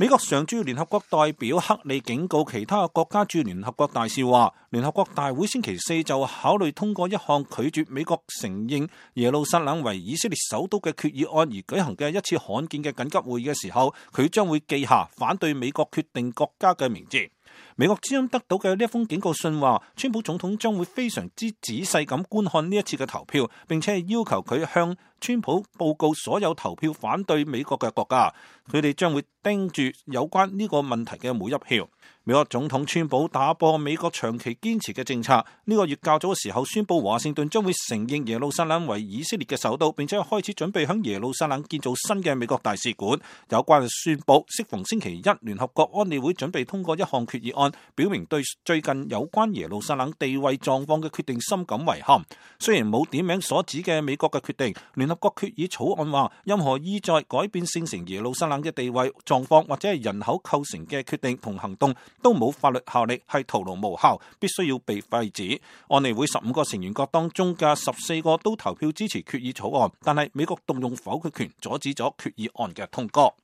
美國常駐聯合國代表克里警告其他國家駐聯合國大使話，聯合國大會星期四就考慮通過一項拒絕美國承認耶路撒冷為以色列首都嘅決議案而舉行嘅一次罕見嘅緊急會議嘅時候，佢將會記下反對美國決定國家嘅名字。美國之音得到嘅呢一封警告信話，川普總統將會非常之仔細咁觀看呢一次嘅投票，並且要求佢向川普報告所有投票反對美國嘅國家，佢哋將會盯住有關呢個問題嘅每一票。美國總統川普打破美國長期堅持嘅政策，呢個月較早嘅時候宣布華盛頓將會承認耶路撒冷為以色列嘅首都，並且開始準備響耶路撒冷建造新嘅美國大使館。有關嘅宣布適逢星期一聯合國安理會準備通過一項決議案，表明對最近有關耶路撒冷地位狀況嘅決定深感遺憾。雖然冇點名所指嘅美國嘅決定，聯合國決議草案話，任何意在改變聖城耶路撒冷嘅地位狀況或者係人口構成嘅決定同行動都冇法律效力，係徒勞無效，必須要被廢止。安理會15個成員國當中嘅14個都投票支持決議草案，但係美國動用否決權阻止咗決議案嘅通過。